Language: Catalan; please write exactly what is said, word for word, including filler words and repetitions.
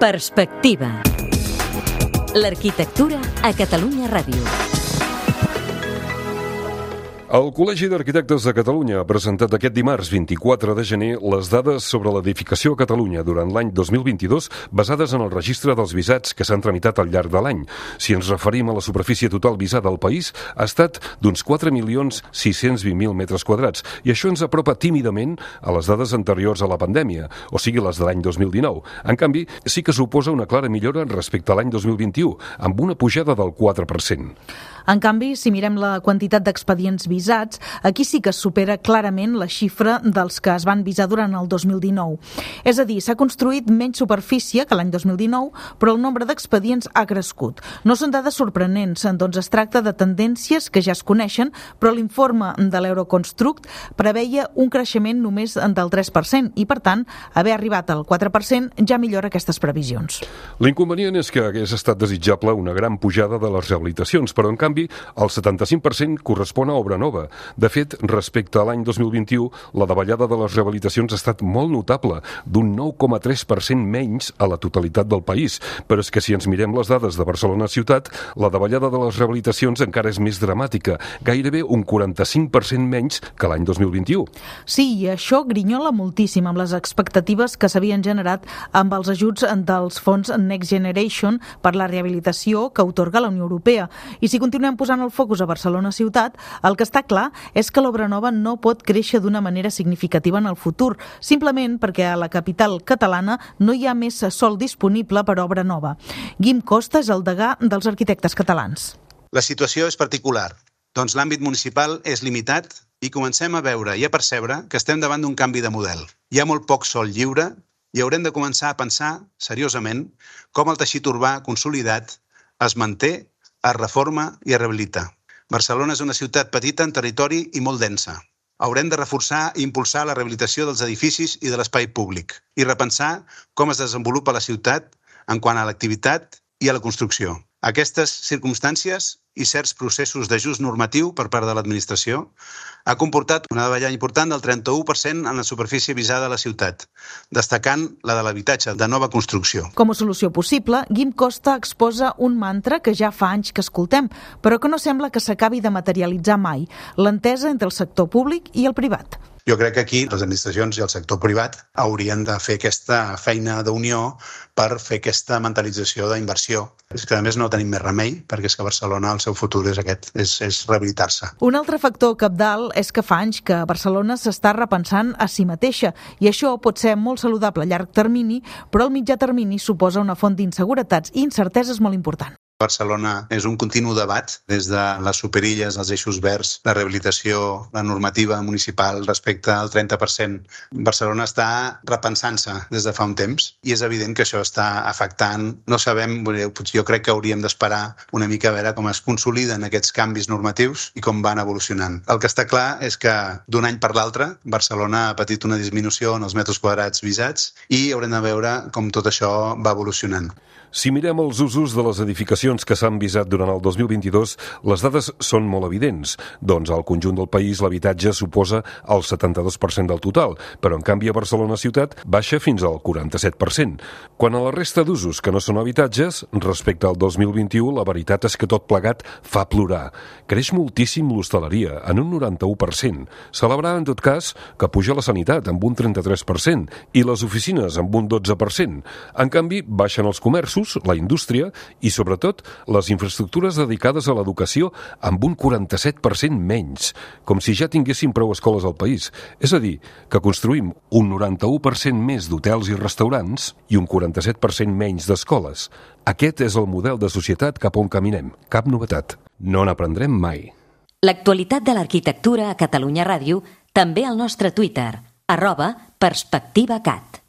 Perspectiva. L'arquitectura a Catalunya Ràdio. El Col·legi d'Arquitectes de Catalunya ha presentat aquest dimarts vint-i-quatre de gener les dades sobre l'edificació a Catalunya durant l'any dos mil vint-i-dos basades en el registre dels visats que s'han tramitat al llarg de l'any. Si ens referim a la superfície total visada al país, ha estat d'uns quatre milions sis-cents vint mil metres quadrats i això ens apropa tímidament a les dades anteriors a la pandèmia, o sigui les de l'any dos mil dinou. En canvi, sí que suposa una clara millora respecte a l'any dos mil vint-i-u, amb una pujada del quatre per cent. En canvi, si mirem la quantitat d'expedients visats, aquí sí que es supera clarament la xifra dels que es van visar durant el dos mil dinou. És a dir, s'ha construït menys superfície que l'any dos mil dinou, però el nombre d'expedients ha crescut. No són dades sorprenents, doncs es tracta de tendències que ja es coneixen, però l'informe de l'Euroconstruct preveia un creixement només del tres per cent i, per tant, haver arribat al quatre per cent ja millora aquestes previsions. L'inconvenient és que hagués estat desitjable una gran pujada de les rehabilitacions, però en canvi el setanta-cinc per cent correspon a obra nova. De fet, respecte a l'any dos mil vint-i-u, la davallada de les rehabilitacions ha estat molt notable, d'un nou coma tres per cent menys a la totalitat del país. Però és que si ens mirem les dades de Barcelona ciutat, la davallada de les rehabilitacions encara és més dramàtica, gairebé un quaranta-cinc per cent menys que l'any dos mil vint-i-u. Sí, i això grinyola moltíssim amb les expectatives que s'havien generat amb els ajuts dels fons Next Generation per la rehabilitació que atorga la Unió Europea. I si continuem Continuem posant el focus a Barcelona ciutat, el que està clar és que l'obra nova no pot créixer d'una manera significativa en el futur, simplement perquè a la capital catalana no hi ha més sòl disponible per obra nova. Guim Costa és el degà dels arquitectes catalans. La situació és particular, doncs l'àmbit municipal és limitat i comencem a veure i a percebre que estem davant d'un canvi de model. Hi ha molt poc sòl lliure i haurem de començar a pensar seriosament com el teixit urbà consolidat es manté, es reforma i es rehabilita. Barcelona és una ciutat petita en territori i molt densa. Haurem de reforçar i impulsar la rehabilitació dels edificis i de l'espai públic i repensar com es desenvolupa la ciutat en quant a l'activitat i a la construcció. Aquestes circumstàncies i certs processos d'ajust normatiu per part de l'administració ha comportat una davallada important del trenta-u per cent en la superfície visada a la ciutat, destacant la de l'habitatge de nova construcció. Com a solució possible, Guim Costa exposa un mantra que ja fa anys que escoltem, però que no sembla que s'acabi de materialitzar mai, l'entesa entre el sector públic i el privat. Jo crec que aquí les administracions i el sector privat haurien de fer aquesta feina d'unió per fer aquesta mentalització d'inversió. És que a més no tenim més remei, perquè és que Barcelona el seu futur és aquest, és, és rehabilitar-se. Un altre factor cabdal és que fa anys que Barcelona s'està repensant a si mateixa i això pot ser molt saludable a llarg termini, però al mitjà termini suposa una font d'inseguretats i incerteses molt important. Barcelona és un continu debat des de les superilles, els eixos verds, la rehabilitació, la normativa municipal respecte al trenta per cent. Barcelona està repensant-se des de fa un temps i és evident que això està afectant. No sabem, jo crec que hauríem d'esperar una mica a veure com es consoliden aquests canvis normatius i com van evolucionant. El que està clar és que d'un any per l'altre Barcelona ha patit una disminució en els metres quadrats visats i haurem de veure com tot això va evolucionant. Si mirem els usos de les edificacions que s'han visat durant el dos mil vint-i-dos, les dades són molt evidents. Doncs al conjunt del país l'habitatge suposa el setanta-dos per cent del total, però en canvi a Barcelona ciutat baixa fins al quaranta-set per cent. Quan a la resta d'usos que no són habitatges, respecte al dos mil vint-i-u, la veritat és que tot plegat fa plorar. Creix moltíssim l'hostaleria, en un noranta-u per cent. Celebrar, en tot cas, que puja la sanitat amb un trenta-tres per cent i les oficines amb un dotze per cent. En canvi, baixen els comerços, la indústria i, sobretot, les infraestructures dedicades a l'educació amb un quaranta-set per cent menys, com si ja tinguéssim prou escoles al país. És a dir, que construïm un noranta-u per cent més d'hotels i restaurants i un quaranta-set per cent menys d'escoles. Aquest és el model de societat cap on caminem. Cap novetat. No n'aprendrem mai. L'actualitat de l'arquitectura a Catalunya Ràdio, també al nostre Twitter, arroba PerspectivaCat.